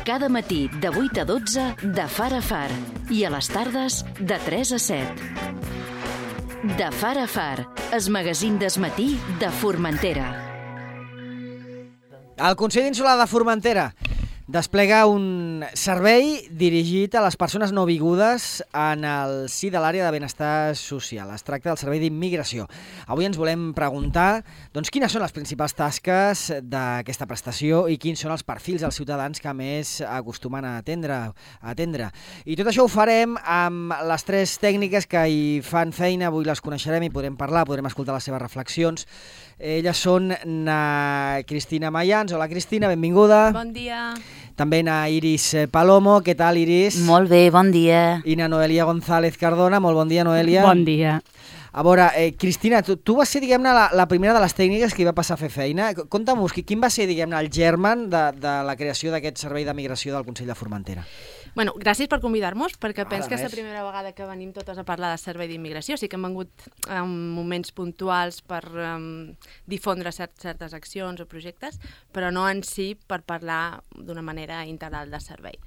Cada matí de 8 a 12 de Far a Far i a les tardes de 3 a 7. De Far a Far, el magazín d'esmatí de Formentera. El Consell Insular de Formentera desplega un servei dirigit a les persones nouvingudes en el si de l'àrea de benestar social. Es tracta del servei d'immigració. Avui ens volem preguntar quines són les principals tasques d'aquesta prestació i quins són els perfils dels ciutadans que més acostumen a atendre. I tot això ho farem amb les tres tècniques que hi fan feina. Avui les coneixerem i podrem parlar, podrem escoltar les seves reflexions. Elles són na Cristina Mayans. Hola, Cristina, benvinguda. Bon dia. També na Iris Palomo. Què tal, Iris? Molt bé, bon dia. I na Noelia González Cardona. Molt bon dia, Noelia. Bon dia. A veure, Cristina, tu vas ser, diguem-ne, la primera de les tècniques que hi va passar a fer feina. Conta'm-nos, quin va ser, diguem-ne, el germen de la creació d'aquest servei de migració del Consell de Formentera? Bueno, gràcies per convidar-nos, perquè penso que és la primera vegada que venim totes a parlar de servei d'immigració. Sí que hem vengut en moments puntuals per difondre certes accions o projectes, però no en si per parlar d'una manera integral de servei.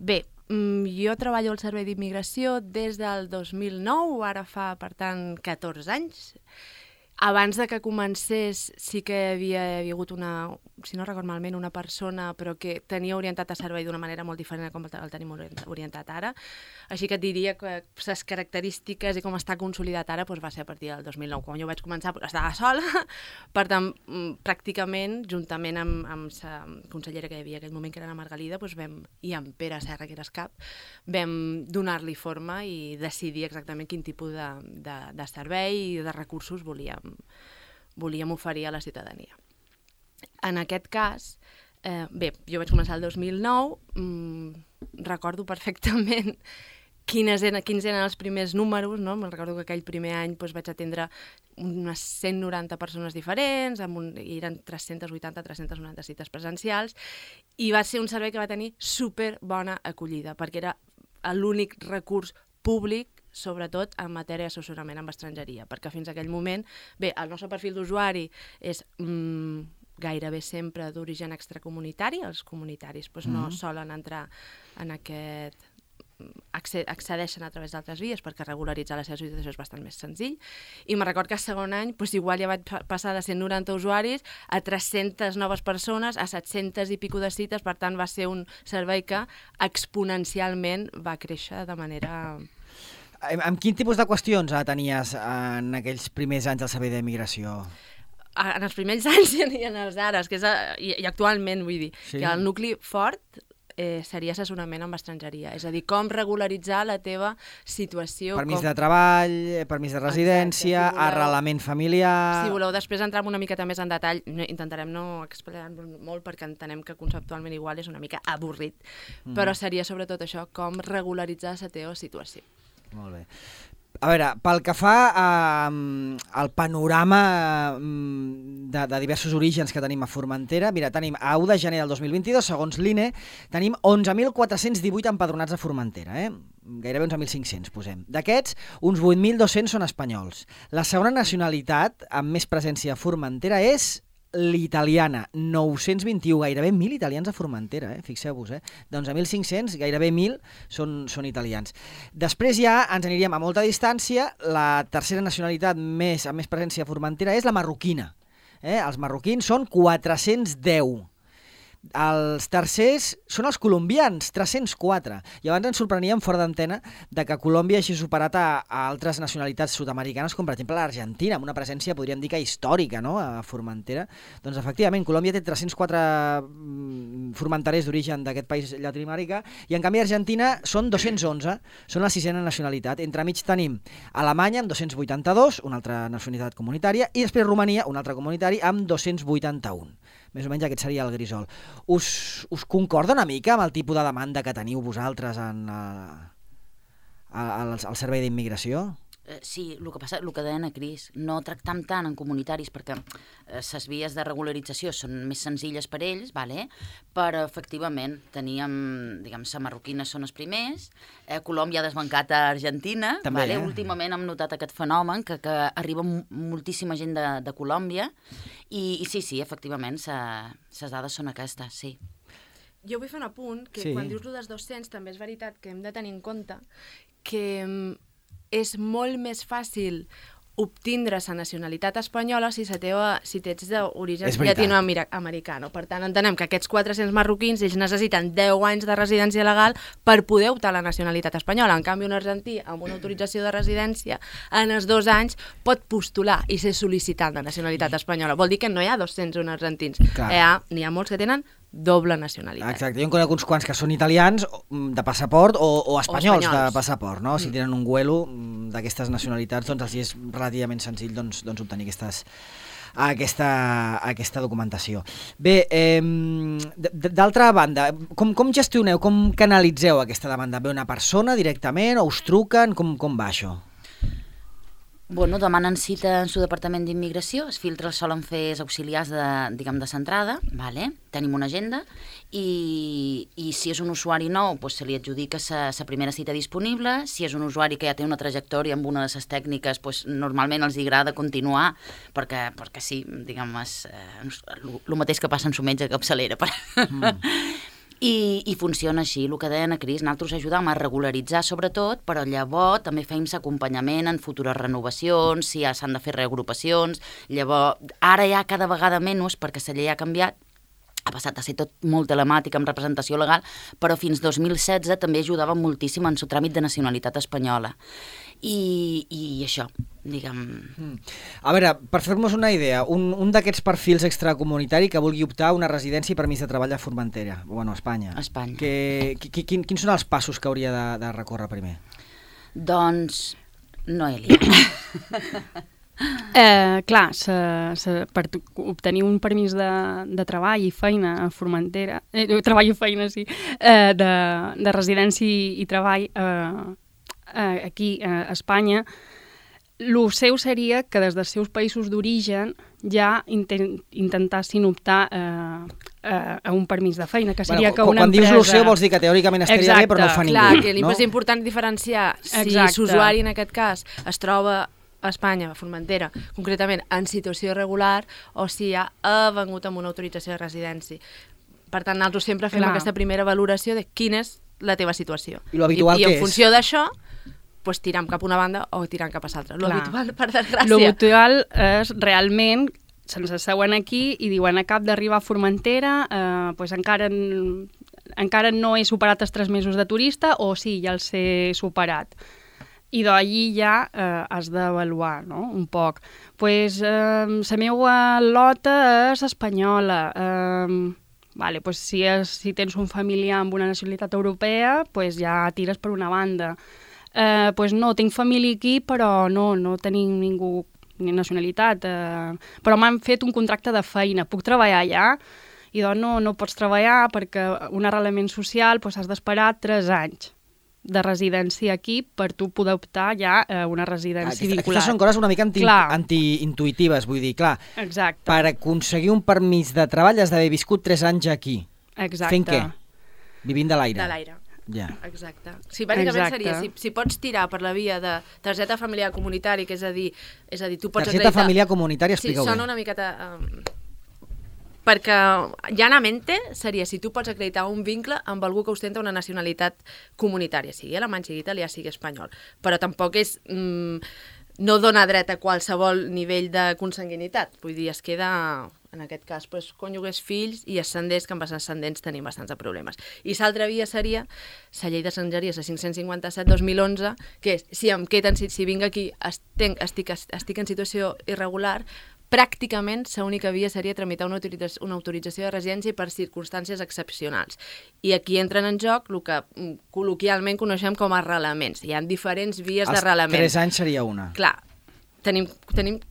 Bé, jo treballo al servei d'immigració des del 2009, ara fa, per tant, 14 anys. Abans de que comencés sí que havia hagut si no recordo malament, una persona però que tenia orientat a servei d'una manera molt diferent com el tenim orientat ara. Així que et diria que les característiques i com està consolidat ara va ser a partir del 2009. Quan jo vaig començar estava sola, per tant, pràcticament, juntament amb la consellera que hi havia en aquell moment, que era la Margalida, i amb Pere Serra, que era el cap, vam donar-li forma i decidir exactament quin tipus de servei i de recursos volíem oferir a la ciutadania. En aquest cas, bé, jo vaig començar el 2009, recordo perfectament quins eren els primers números, no? Me'n recordo que aquell primer any vaig atendre unes 190 persones diferents, i eren 380-390 cites presencials, i va ser un servei que va tenir superbona acollida, perquè era l'únic recurs públic, sobretot en matèria d'assessorament amb estrangeria, perquè fins a aquell moment, bé, el nostre perfil d'usuari és gairebé sempre d'origen extracomunitari, els comunitaris no solen entrar en aquest... accedeixen a través d'altres vies perquè regularitzar la seva situació és bastant més senzill, i me'n record que el segon any igual ja vaig passar de 190 usuaris a 300 noves persones, a 700 i pico de cites, per tant va ser un servei que exponencialment va créixer de manera... Amb quin tipus de qüestions tenies en aquells primers anys del servei d'immigració? En els primers anys i en els ara, i actualment, vull dir, que el nucli fort seria assessorament amb estrangeria, és a dir, com regularitzar la teva situació. Permís de treball, permís de residència, arrelament familiar... Si voleu després entrar una miqueta més en detall, intentarem no explicar-nos molt perquè entenem que conceptualment igual és una mica avorrit, però seria sobretot això, com regularitzar la teva situació. Molt bé. A veure, pel que fa al panorama de diversos orígens que tenim a Formentera, mira, tenim a 1 de gener del 2022, segons l'INE, tenim 11.418 empadronats a Formentera, gairebé 11.500, posem. D'aquests, uns 8.200 són espanyols. La segona nacionalitat amb més presència a Formentera és l'italiana, 921, gairebé 1.000 italians a Formentera, fixeu-vos, d'11.500, gairebé 1.000 són italians. Després ja ens aniríem a molta distància, la tercera nacionalitat amb més presència a Formentera és la marroquina. Els marroquins són 410. Els tercers són els colombians, 304. I abans ens sorpreníem fora d'antena de que Colòmbia hagi superat a altres nacionalitats sud-americanes, com per exemple l'Argentina, amb una presència, podríem dir que històrica, no?, a Formentera. Doncs efectivament, Colòmbia té 304 formenterers d'origen d'aquest país llatinoamericà, i en canvi Argentina són 211, són la sisena nacionalitat. Entremig tenim Alemanya amb 282, una altra nacionalitat comunitària, i després Romania, un altre comunitari, amb 281. Més o menys aquest seria el grisol. Us concorda una mica amb el tipus de demanda que teniu vosaltres al servei d'immigració? Sí, el que passa, el que deia Cris, no tractam tant en comunitaris perquè les vies de regularització són més senzilles per ells, però efectivament teníem, diguem, la marroquina són els primers, Colòmbia ha desbancat a Argentina, últimament hem notat aquest fenomen que arriba moltíssima gent de Colòmbia i sí, efectivament, les dades són aquestes, sí. Jo vull fer un apunt, que quan dius lo dels 200 també és veritat que hem de tenir en compte que és molt més fàcil obtindre la nacionalitat espanyola si ets d'origen llatinoamericano. Per tant, entenem que aquests 400 marroquins ells necessiten 10 anys de residència legal per poder optar a la nacionalitat espanyola. En canvi, un argentí amb una autorització de residència en els 2 anys pot postular i ser sol·licitant de nacionalitat espanyola. Vol dir que no hi ha 201 argentins. N'hi ha molts que tenen doble nacionalitat. Exacte, jo en conec uns quants que són italians de passaport o espanyols de passaport, no? Si tenen un vuelo d'aquestes nacionalitats, doncs els és relativament senzill obtenir aquesta documentació. Bé, d'altra banda, com gestioneu, com canalitzeu aquesta demanda? Ve una persona directament o us truquen? Com va això? Bueno, demanen cita en su departament d'immigració, els filtres solen fer els auxiliars de centrada, vale? Tenim una agenda i si és un usuari nou, doncs se li adjudica la primera cita disponible. Si és un usuari que ja té una trajectòria amb una de les tècniques, doncs normalment els agrada continuar, perquè sí, diguem, és el mateix que passa en su metge de capçalera. I funciona així, el que deia Cris, nosaltres ajudam a regularitzar sobretot, però llavors també fem acompanyament en futures renovacions, si ja s'han de fer reagrupacions, llavors ara ja cada vegada menys perquè la llei ha canviat, ha passat a ser tot molt telemàtic amb representació legal, però fins 2016 també ajudava moltíssim en el tràmit de nacionalitat espanyola. I això, diguem... A veure, per fer-nos una idea, un d'aquests perfils extracomunitari que vulgui optar a una residència i permís de treball a Formentera, bueno, a Espanya. A Espanya. Quins són els passos que hauria de recórrer primer? Doncs, Noelia. Clar, per obtenir un permís de treball i feina a Formentera, treball i feina, sí, de residència i treball aquí a Espanya, el seu seria que des dels seus països d'origen ja intentassin optar a un permís de feina, que seria que una empresa... Quan dius el seu vols dir que teòricament estaria bé, però no ho fa ningú. Clar, que és important diferenciar si l'usuari en aquest cas es troba a Espanya, a Formentera, concretament en situació irregular, o si ja ha vengut amb una autorització de residència. Per tant, nosaltres sempre fem aquesta primera valoració de quina és la teva situació. I l'habitual què és? I en funció d'això, pues, tiram cap a una banda o tiram cap a l'altra. L'habitual, per desgràcia. L'habitual és realment, se'ns asseuen aquí i diuen acab d'arribar a Formentera, pues encara no he superat els 3 mesos de turista, o sí, ja els he superat. I d'allí ja has d'avaluar, no?, un poc. Pues la meva lota és espanyola. Vale, pues si tens un familiar amb una nacionalitat europea, pues ja tires per una banda. Pues no, tinc família aquí, però no tenim ningú ni nacionalitat. Però m'han fet un contracte de feina. Puc treballar allà? I doncs no pots treballar perquè un arrelament social pues, has d'esperar 3 anys de residència aquí per tu poder optar ja a una residència vinculada. Aquestes són coses una mica antiintuitives, vull dir, clar. Exacte. Per aconseguir un permís de treball has d'haver viscut 3 anys aquí. Exacte. Fent què? Vivint de l'aire. De l'aire. Ja. Exacte. Sí, bàsicament seria, si pots tirar per la via de targeta familiar comunitari, que és a dir, tu pots targeta familiar comunitària, explica-ho bé. Sí, sona una miqueta... perquè llanamente seria si tu pots acreditar un vincle amb algú que ostenta una nacionalitat comunitària, sigui alemany, sigui italià, sigui espanyol. Però tampoc és... no dona dret a qualsevol nivell de consanguinitat. Vull dir, es queda, en aquest cas, doncs, cònjuges, fills i ascendents, que amb els ascendents tenim bastants problemes. I l'altra via seria la llei d'estrangeria, la 557-2011, que és, si vinc aquí, estic en situació irregular, pràcticament l'única via seria tramitar una autorització de residència per circumstàncies excepcionals. I aquí entren en joc el que col·loquialment coneixem com a arrelaments. Hi ha diferents vies d'arrelament. Els 3 anys seria una. Clar, tenim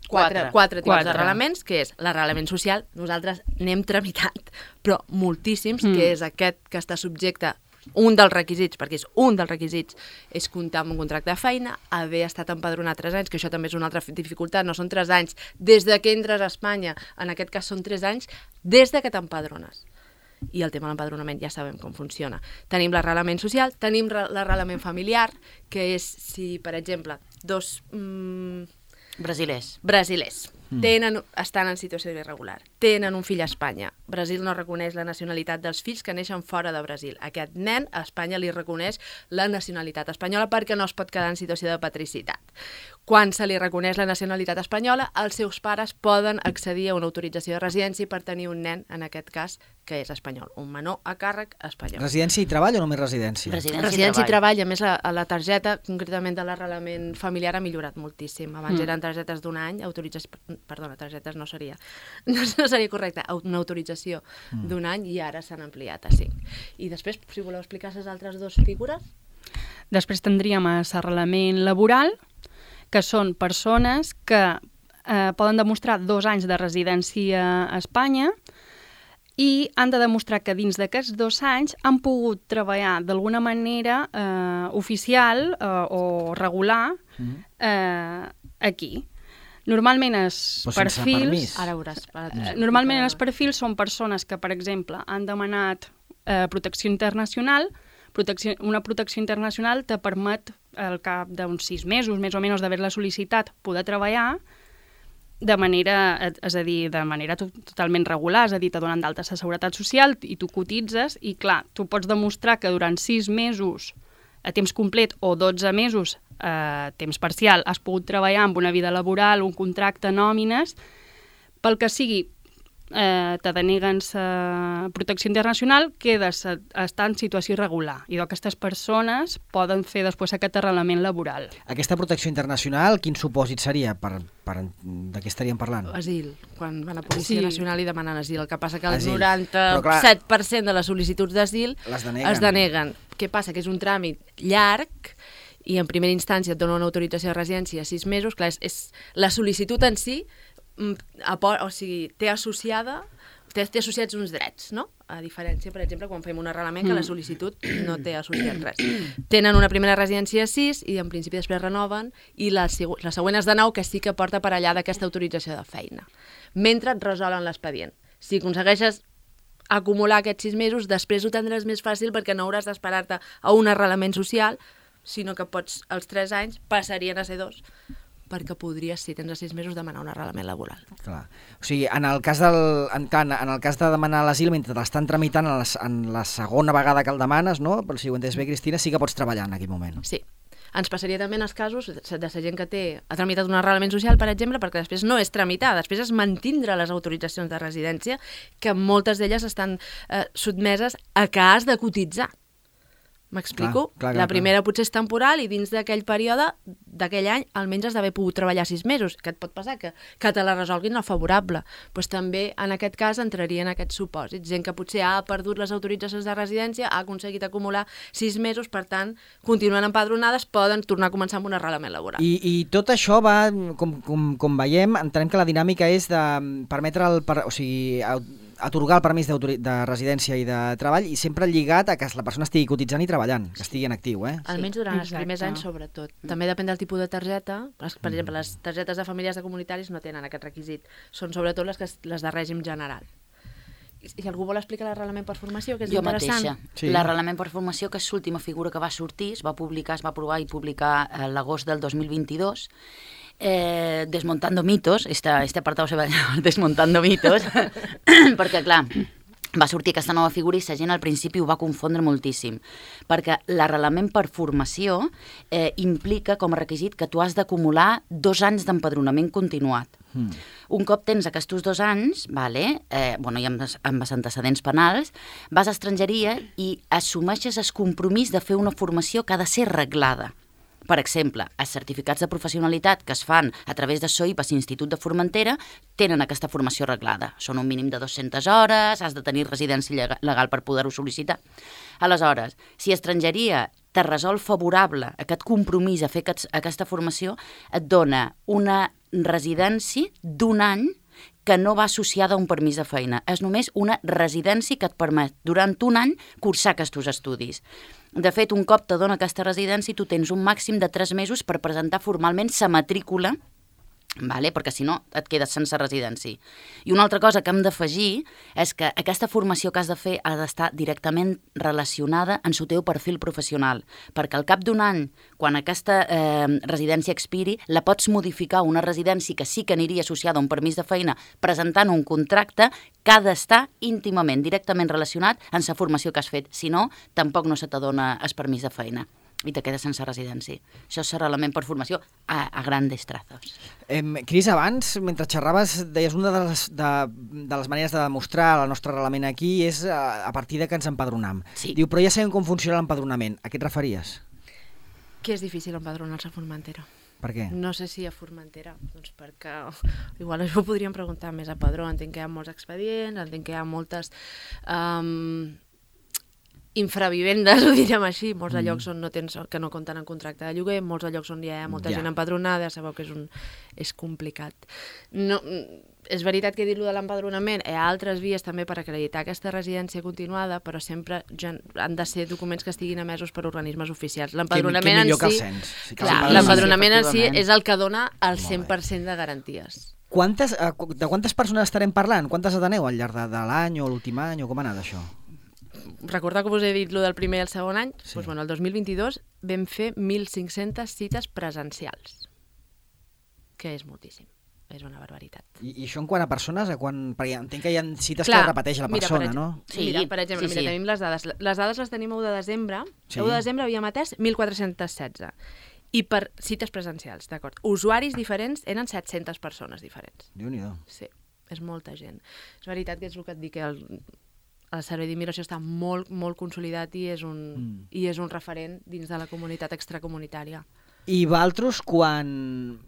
4 tipus d'arrelaments, que és l'arrelament social, nosaltres n'hem tramitat, però moltíssims, que és aquest que està subjecte un dels requisits, perquè és un dels requisits, és comptar amb un contracte de feina, haver estat empadronat 3 anys, que això també és una altra dificultat, no són 3 anys des de que entres a Espanya, en aquest cas són 3 anys des de que t'empadrones. I el tema de l'empadronament ja sabem com funciona. Tenim l'arrelament social, tenim l'arrelament familiar, que és si, per exemple, 2... Brasilers. estan en situació irregular, tenen un fill a Espanya. Brasil no reconeix la nacionalitat dels fills que neixen fora de Brasil. Aquest nen a Espanya li reconeix la nacionalitat espanyola perquè no es pot quedar en situació de patricitat. Quan se li reconeix la nacionalitat espanyola, els seus pares poden accedir a una autorització de residència per tenir un nen, en aquest cas, que és espanyol, un menor a càrrec espanyol. Residència i treball o només residència? Residència i treball. A més, la targeta, concretament de l'arrelament familiar, ha millorat moltíssim. Abans eren targetes d'un any, targetes no seria correcte, una autorització d'un any, i ara s'han ampliat a 5. I després, si voleu explicar les altres dues figures? Després tindríem l'arrelament laboral, que són persones que poden demostrar 2 anys de residència a Espanya i han de demostrar que dins d'aquests 2 anys han pogut treballar d'alguna manera oficial o regular aquí. Normalment els perfils... Ara veuràs. Normalment els perfils són persones que, per exemple, han demanat protecció internacional. Una protecció internacional te permet, al cap d'uns 6 mesos, més o menys, d'haver-la sol·licitat, poder treballar de manera totalment regular, és a dir, te donen d'alta la Seguretat Social i tu cotitzes i, clar, tu pots demostrar que durant 6 mesos a temps complet o 12 mesos a temps parcial has pogut treballar amb una vida laboral, un contracte, nòmines, pel que sigui, te deneguen la protecció internacional, quedes a estar en situació irregular i aquestes persones poden fer després aquest arrelament laboral. Aquesta protecció internacional, quin supòsit seria? De què estaríem parlant? Asil, quan van a Policia Nacional i demanen asil. El que passa que el 97% de les sol·licituds d'asil es deneguen. Què passa? Que és un tràmit llarg i en primera instància et dona una autorització de residència a 6 mesos. Clar, és la sol·licitud en si, o sigui, té associats uns drets, no? A diferència, per exemple, quan fem un arrelament que la sol·licitud no té associat res. Tenen una primera residència a 6 i en principi després renoven i la següent és de 9, que sí que porta per allà d'aquesta autorització de feina. Mentre et resolen l'expedient. Si aconsegueixes acumular aquests 6 mesos, després ho tindràs més fàcil perquè no hauràs d'esperar-te a un arrelament social, sinó que pots, als 3 anys, passarien a ser 2, perquè podries, si tens a 6 mesos, demanar un arrelament laboral. Clar. O sigui, en el cas de demanar l'asil, mentre l'estan tramitant en la segona vegada que el demanes, no? Però si ho entens bé, Cristina, sí que pots treballar en aquell moment. Sí. Ens passaria també en els casos de la gent que ha tramitat un arrelament social, per exemple, perquè després no és tramitar, després és mantindre les autoritzacions de residència, que moltes d'elles estan sotmeses a que has de cotitzar. M'explico? La primera potser és temporal i dins d'aquell període, d'aquell any, almenys has d'haver pogut treballar 6 mesos. Què et pot passar? Que te la resolguin no favorable. Doncs també, en aquest cas, entraria en aquests supòsits. Gent que potser ha perdut les autoritzacions de residència, ha aconseguit acumular 6 mesos, per tant, continuen empadronades, poden tornar a començar amb un arrelament laboral. I tot això va, com veiem, entenem que la dinàmica és de permetre atorgar el permís de residència i de treball i sempre lligat a que la persona estigui cotitzant i treballant, que estigui en actiu. Almenys durant els primers anys, sobretot. També depèn del tipus de targeta. Per exemple, les targetes de famílies de comunitaris no tenen aquest requisit. Són sobretot les de règim general. I algú vol explicar l'arrelament per formació, que és interessant? Jo mateixa. Sí. L'arrelament per formació, que és l'última figura que va sortir, es va aprovar i publicar l'agost del 2022, desmontando mitos, este apartado se va llamar desmontando mitos, perquè clar, va sortir aquesta nova figura i la gent al principi ho va confondre moltíssim, perquè l'arrelament per formació implica com a requisit que tu has d'acumular 2 anys d'empadronament continuat. Un cop tens aquests 2 anys, i amb els antecedents penals, vas a estrangeria i assumeixes el compromís de fer una formació que ha de ser reglada. Per exemple, els certificats de professionalitat que es fan a través de SOIPAS i Institut de Formentera tenen aquesta formació reglada. Són un mínim de 200 hores, has de tenir residència legal per poder-ho sol·licitar. Aleshores, si estrangeria te resol favorable aquest compromís a fer aquesta formació, et dona una residència d'1 any que no va associada a un permís de feina. És només una residència que et permet durant 1 any cursar aquests estudis. De fet, un cop te dona aquesta residència, tu tens un màxim de 3 mesos per presentar formalment la matrícula vale? Perquè si no et quedes sense residència. I una altra cosa que hem d'afegir és que aquesta formació que has de fer ha d'estar directament relacionada amb el teu perfil professional, perquè al cap d'un any, quan aquesta residència expiri, la pots modificar a una residència que sí que aniria associada a un permís de feina presentant un contracte que ha d'estar íntimament, directament relacionat amb la formació que has fet. Si no, tampoc no se t'adona el permís de feina i te quedes sense residència. Això serà l'element per formació a grandes trazos. Cris, abans, mentre xerraves, deies una de les maneres de demostrar el nostre arrelament aquí és a partir de que ens empadronam. Sí. Diu, però ja sabem com funciona l'empadronament. A què et referies? Que és difícil empadronar-se a Formentera. Per què? No sé si a Formentera, doncs perquè igual això ho podríem preguntar més a Padró. Entenc que hi ha molts expedients, entenc que hi ha moltes infravivendes, ho direm així, molts de llocs on que no compten en contracte de lloguer, molts de llocs on hi ha molta gent empadronada, sabeu que és complicat. No, és veritat que dir-lo de l'empadronament, hi ha altres vies també per acreditar aquesta residència continuada, però sempre han de ser documents que estiguin emesos per organismes oficials. L'empadronament en si, l'empadronament en si és el que dona el 100% de garanties. De quantes persones estarem parlant? Quantes ateneu al llarg de l'any o l'últim any o com ha anat això? Recordar que us he dit el del primer i el segon any, sí. Doncs, el 2022 vam fer 1.500 cites presencials, que és moltíssim, és una barbaritat. I això en quant a persones? Perquè entenc que hi ha cites que repeteix la persona, no? Sí. Mira, per exemple, tenim les dades. Les dades les tenim a 1 de desembre. Sí. A 1 de desembre havíem atès 1.416. I per cites presencials, d'acord. Usuaris diferents eren 700 persones diferents. Déu-n'hi-do. Sí, és molta gent. És veritat que és el que et dic, que el servei d'immigració està molt, molt consolidat i és un referent dins de la comunitat extracomunitària. I vosaltres, quan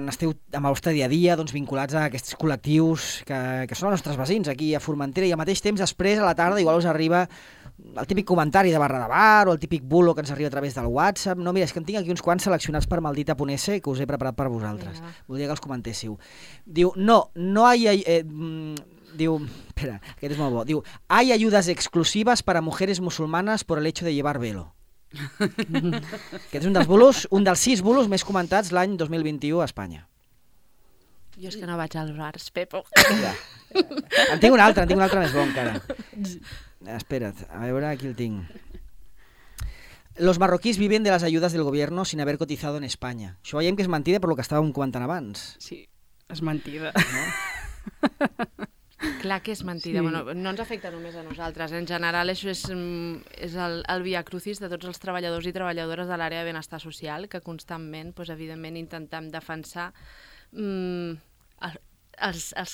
esteu amb el vostre dia a dia vinculats a aquests col·lectius que són els nostres veïns aquí a Formentera, i al mateix temps després a la tarda igual us arriba el típic comentari de barra de bar o el típic bulo que ens arriba a través del WhatsApp. No, mira, és que en tinc aquí uns quants seleccionats per Maldita.es que us he preparat per vosaltres. Voldria que els comentéssiu. Diu, diu, espera, aquest és molt bo. Diu, hay ayudas exclusivas para mujeres musulmanas por el hecho de llevar velo. Aquest és un dels 6 bulos més comentats l'any 2021 a Espanya. Jo és que no vaig als bars, Pepo. En tinc un altre més bo encara. Espera't, a veure, aquí el tinc. Los marroquíes viven de las ayudas del gobierno sin haber cotizado en España. Això veiem que és mentida per lo que estàvem comentant abans. Sí, és mentida. No? Clar que és mentida. Sí. Bueno, no ens afecta només a nosaltres. En general, això és el via crucis de tots els treballadors i treballadores de l'àrea de benestar social, que constantment, evidentment, intentem defensar els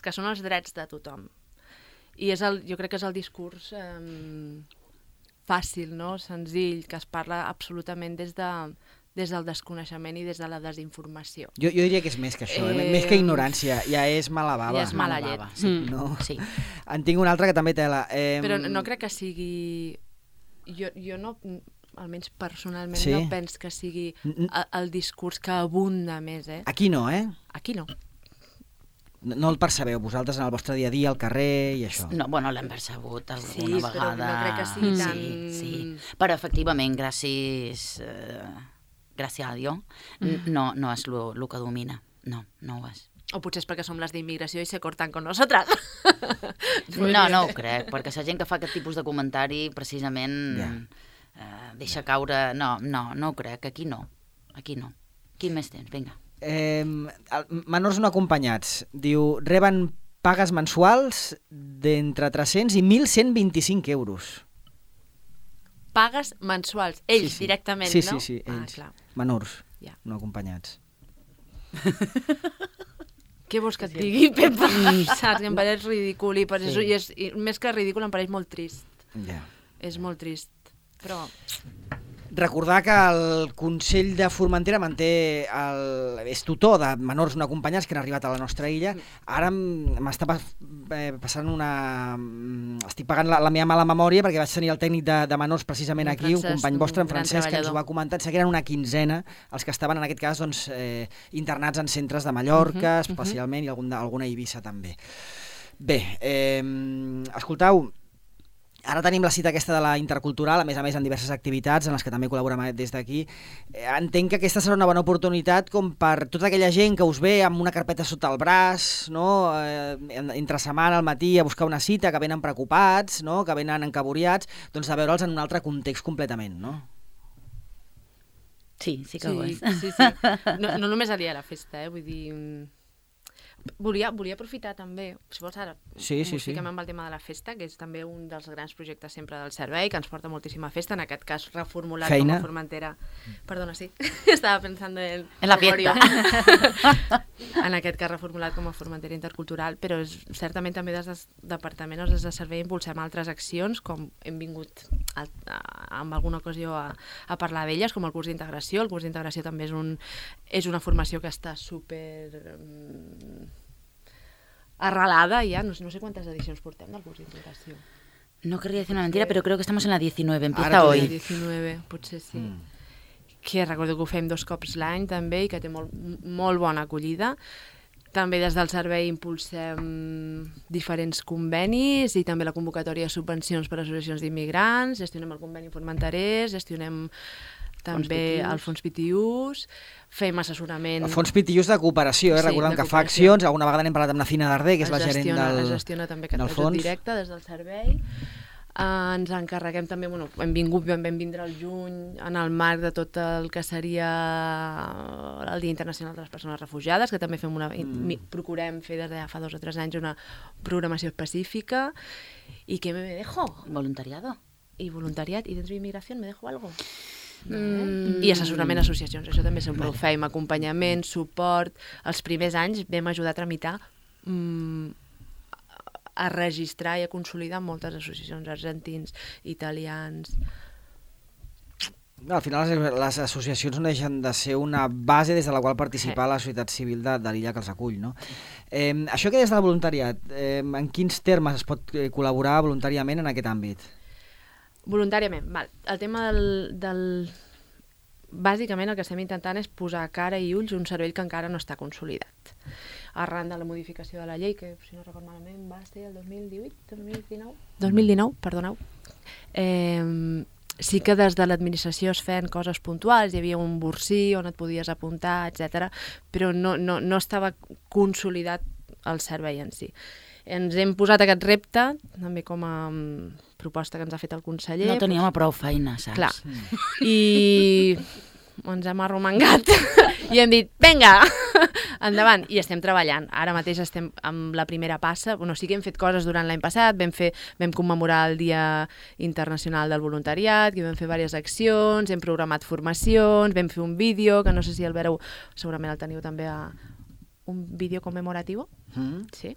que són els drets de tothom. I jo crec que és el discurs fàcil, no? Senzill, que es parla absolutament des del desconeixement i des de la desinformació. Jo diria que és més que això, més que ignorància, ja és mala bava. Ja és mala llet. Sí. No? Sí. En tinc un altre que també té la... Però no crec que sigui... Jo no, almenys personalment, no penso que sigui el discurs que abunda més. Aquí no, Aquí no. No el percebeu vosaltres en el vostre dia a dia, al carrer i això? No, bueno, l'hem percebut alguna vegada. Sí, però no crec que sigui tan... Sí. Però efectivament, gràcies a Déu, no és el que domina. No ho és. O potser és perquè som les d'immigració i se cortan con nosaltres. No ho crec, perquè la gent que fa aquest tipus de comentari precisament deixa caure... No ho crec, aquí no. Quin més tens? Vinga. Menors no acompanyats. Diu, reben pagues mensuals d'entre 300 i 1.125 euros. Pagues mensuals, ells directament, no? Sí, ells. Menors no acompanyats. Què vols que et digui, Pepa? Saps, em pareix ridícul i més que ridícul em pareix molt trist. És molt trist, però... Recordar que el Consell de Formentera és tutor de menors no acompanyats que han arribat a la nostra illa. Ara m'està passant estic pagant la meva mala memòria perquè vaig tenir el tècnic de menors precisament aquí, un company vostre, en Francesc, que ens ho va comentar. Sé que eren una quinzena els que estaven en aquest cas internats en centres de Mallorca, especialment, i alguna a Eivissa també. Bé, escoltau, Ara tenim la cita aquesta de la intercultural, a més en diverses activitats en les que també col·laborem des d'aquí. Entenc que aquesta serà una bona oportunitat com per tota aquella gent que us ve amb una carpeta sota el braç, no? Entre setmana al matí a buscar una cita, que venen preocupats, no? Que venen encaboriats, doncs de veure'ls en un altre context completament, no? Sí que ho és. Sí. No només el dia de la festa, vull dir... Volia aprofitar també, si vols ara, fiquem amb el tema de la festa, que és també un dels grans projectes sempre del servei, que ens porta moltíssima festa, en aquest cas reformulat com a Formentera. Perdona, sí, estava pensant en la fiesta. En aquest cas reformulat com a Formentera intercultural, però certament també des del departament o des de servei impulsem altres accions, com hem vingut en alguna ocasió a parlar d'elles, com el curs d'integració. El curs d'integració també és una formació que està super... arrelada ya, no sé cuántas edicions portem del curs d'integració. No querría decir una mentira, pero creo que estamos en la 19, empieza hoy. La 19, potser sí. Que recordo que ho fem 2 cops l'any també i que té molt bona acollida. També des del servei impulsem diferents convenis i també la convocatòria de subvencions per a associacions d'immigrants, gestionem el conveni formenterès, gestionem també el Fons Pitiús, fem assessorament... El Fons Pitiús de cooperació, recordem que fa accions, alguna vegada n'hem parlat amb la Fina Darder, que és la gerent del fons. Es gestiona també aquest ajut directe des del servei. Ens encarreguem també, vam vindre al juny en el marc de tot el que seria el Dia Internacional de les Persones Refugiades, que també procurem fer des de fa 2 o 3 anys una programació específica. I què me dejo? Voluntariado. I voluntariat, i dentro d'immigració me dejo algo? I assessorament a associacions, això també sempre ho fem, acompanyament, suport. Els primers anys vam ajudar a tramitar, a registrar i a consolidar moltes associacions, argentins, italians... Al final les associacions no deixen de ser una base des de la qual participar la societat civil de l'illa que els acull, no? Això que des del voluntariat, en quins termes es pot col·laborar voluntàriament en aquest àmbit? Voluntàriament, val. El tema del... Bàsicament el que estem intentant és posar cara i ulls un servei que encara no està consolidat. Arran de la modificació de la llei, que si no recordo malament va ser el 2019, perdoneu. Sí que des de l'administració es feien coses puntuals, hi havia un bursí on et podies apuntar, etc. Però no estava consolidat el servei en si. Ens hem posat aquest repte, també com a proposta que ens ha fet el conseller. No teníem prou feina, saps? Clar. I ens hem arromangat i hem dit, vinga, endavant. I estem treballant. Ara mateix estem amb la primera passa. Sí que hem fet coses durant l'any passat, vam commemorar el Dia Internacional del Voluntariat, que vam fer diverses accions, hem programat formacions, vam fer un vídeo, que no sé si el veureu, segurament el teniu també un vídeo commemoratiu. Sí.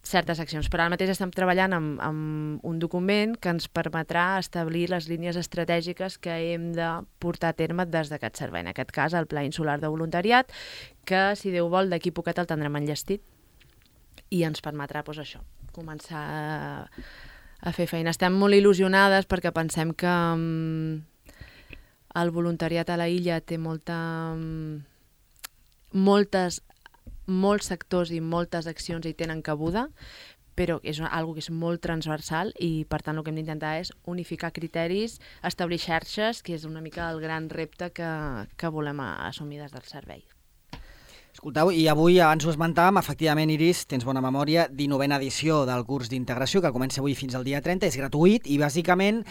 Certes accions, però ara mateix estem treballant amb un document que ens permetrà establir les línies estratègiques que hem de portar a terme des d'aquest servei. En aquest cas, el Pla Insular de Voluntariat, que, si Déu vol, d'aquí poquet el tindrem enllestit i ens permetrà, això, començar a fer feina. Estem molt il·lusionades perquè pensem que el voluntariat a la illa té molts sectors i moltes accions hi tenen cabuda, però és una que és molt transversal i, per tant, el que hem d'intentar és unificar criteris, establir xarxes, que és una mica el gran repte que volem assumir des del servei. Escolteu, i avui, abans ho esmentàvem, efectivament, Iris, tens bona memòria, 19a edició del curs d'integració, que comença avui fins al dia 30, és gratuït i, bàsicament,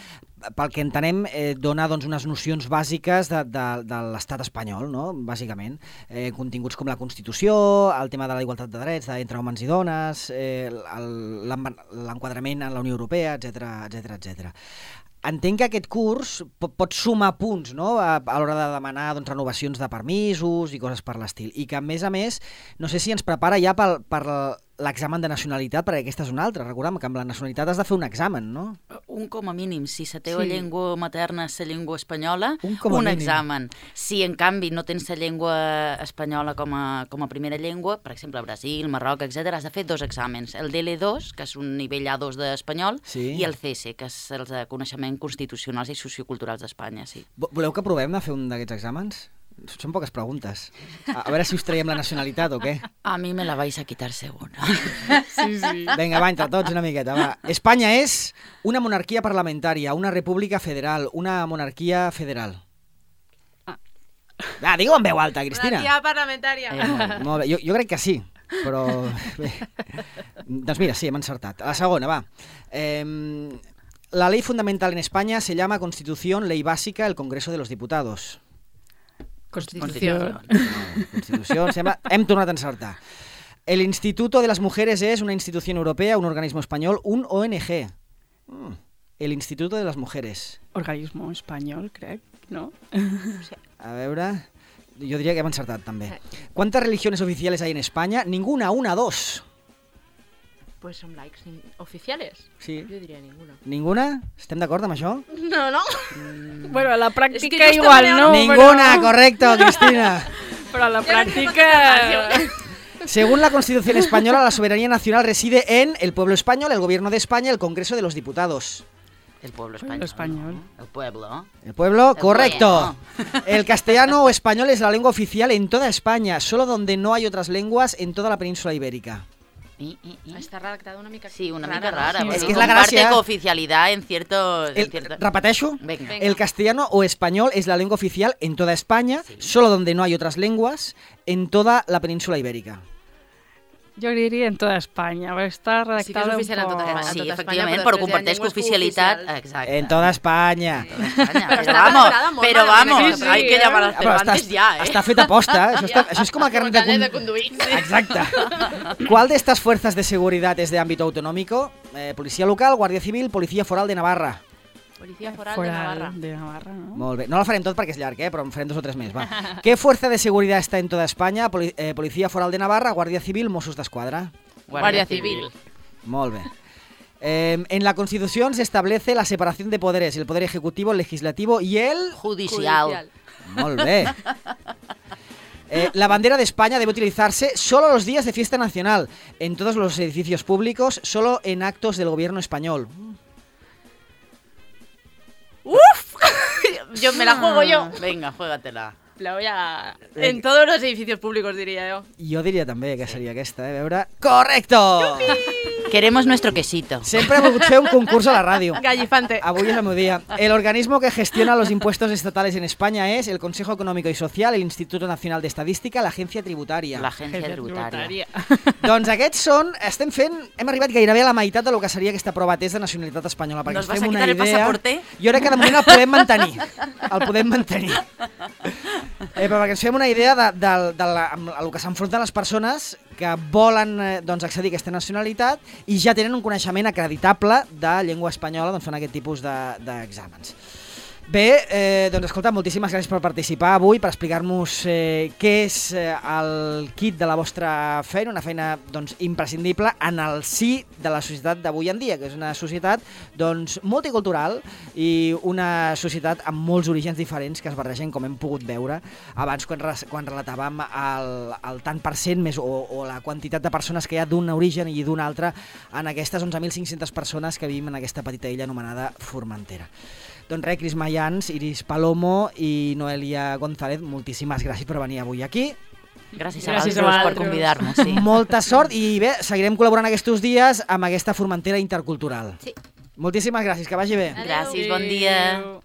pel que entenem, dona unes nocions bàsiques de l'estat espanyol, no? Bàsicament. Continguts com la Constitució, el tema de la igualtat de drets entre homes i dones, l'enquadrament en la Unió Europea, etc. Entenc que aquest curs pot sumar punts, no?, a l'hora de demanar renovacions de permisos i coses per l'estil. I que, a més, no sé si ens prepara ja per l'examen de nacionalitat, perquè aquesta és una altra. Recordem que amb la nacionalitat has de fer un examen, no? Un com a mínim. Si la teva llengua materna és la llengua espanyola, un examen. Si, en canvi, no tens la llengua espanyola com a primera llengua, per exemple, Brasil, Marroc, etc., has de fer 2 exàmens. El DL2, que és un nivell A2 d'espanyol, i el CS, que és el de coneixement constitucionals i socioculturals d'Espanya. Sí. Voleu que provem de fer un d'aquests exàmens? Són poques preguntes. A veure si us traiem la nacionalitat o què. A mi me la vais a quitar seguro. Sí, sí. Vinga, va, entre tots una miqueta, va. Espanya és una monarquia parlamentària, una república federal, una monarquia federal. Va, digue-ho en veu alta, Cristina. Monarquia parlamentària. Molt bé, jo crec que sí, però... Bé. Doncs mira, sí, hem encertat. A la segona, va. La ley fundamental en España se llama Constitución, Ley Básica, el Congreso de los Diputados. Constitució. Constitució, sembla... Hem tornat a encertar. El Instituto de las Mujeres es una institución europea, un organismo español, un ONG. El Instituto de las Mujeres. Organismo espanyol, crec, no? A veure... Jo diria que hem encertat, també. ¿Cuántas religiones oficiales hay en España? Ninguna, una, dos. Pues son laics oficiales. Sí. Jo diria ninguna. Ninguna? Estem d'acord amb això? No. Bueno, a la És pràctica que igual justament no, Ninguna, correcto, Cristina. però a la pràctica... Según la Constitución española, la soberanía nacional reside en el pueblo español, el gobierno de España, el Congreso de los Diputados. El pueblo Pueblo español. español. El pueblo. El pueblo, El correcto. El castellano o español es la lengua oficial en toda España, solo donde no hay otras lenguas en toda la península ibérica. Està redactada una mica Sí, una rara, mica no? rara. Sí. porque Es que es la comparte gracia. cooficialidad en ciertos... Repeteixo. Venga. El castellano o español es la lengua oficial en toda España, solo donde no hay otras lenguas en toda la península ibérica. Jo diria en tota Espanya, perquè està redactada Sí que és oficial en tota Espanya. Sí, tot efectivament, Espanya, però però comparteix després hi ha cooficialitat. llengües Exacte. En toda España. Espanya. Però està vamos, redactada molt pero malament, vamos, aquesta hay que frase, llamar a Ah, però Cervantes ya, ¿eh? està fet a posta, això és com el carnet Carnet de de conduir. Exacte. ¿Cuál de estas fuerzas de seguridad es de ámbito autonómico? Policía local, Guàrdia Civil, Policía Foral de Navarra. Policia Foral de Navarra. De Navarra, no? Molt bé. No la farem tot perquè és llarg, però en farem 2 o 3 més. Va. ¿Qué fuerza de seguridad está en toda España? Policía Foral de Navarra, Guàrdia Civil, Mossos d'Esquadra. Guàrdia Civil. Molt bé. En la Constitución se establece la separación de poderes, el poder ejecutivo, el legislativo y el... Judicial. Molt bé. La bandera de España debe utilizarse solo los días de fiesta nacional, en todos los edificios públicos, solo en actos del gobierno español. Yo me la juego yo. Venga, juégatela. La voy a... En todos los edificios públicos, diría yo. Jo diria també que seria aquesta, a veure... Correcto! Queremos nuestro quesito. Sempre he volgut fer un concurs a la ràdio. Gallifante. Avui és el meu dia. El organismo que gestiona los impuestos estatales en España es el Consejo Económico y Social, el Instituto Nacional de Estadística, l'Agència Tributària. L'agència tributària. Doncs aquests són... Hem arribat gairebé a la meitat del que seria aquesta prova test de nacionalitat espanyola. Perquè Nos ens vas fem a una quitar el idea. pasaporte? Jo crec que de moment el podem mantenir. El podem mantenir. Però perquè ens fem una idea del que s'enfronten les persones que volen accedir a aquesta nacionalitat i ja tenen un coneixement acreditable de llengua espanyola, doncs fan aquest tipus d'exàmens. Bé, doncs escolta, moltíssimes gràcies per participar avui, per explicar-nos què és el kit de la vostra feina, una feina doncs, imprescindible en el si de la societat d'avui en dia, que és una societat doncs, multicultural i una societat amb molts orígens diferents que es barregen, com hem pogut veure abans quan relatàvem el tant per cent més o la quantitat de persones que hi ha d'un origen i d'un altre en aquestes 11.500 persones que vivim en aquesta petita illa anomenada Formentera. Doncs res, Cris Mayans, Iris Palomo i Noelia González, moltíssimes gràcies per venir avui aquí. Gràcies a Gràcies a vosaltres per vosaltres. convidar-nos. Sí. Molta sort i bé, seguirem col·laborant aquests dies amb aquesta Formentera intercultural. Sí. Moltíssimes gràcies, que vagi bé. Gràcies, bon dia. Adéu.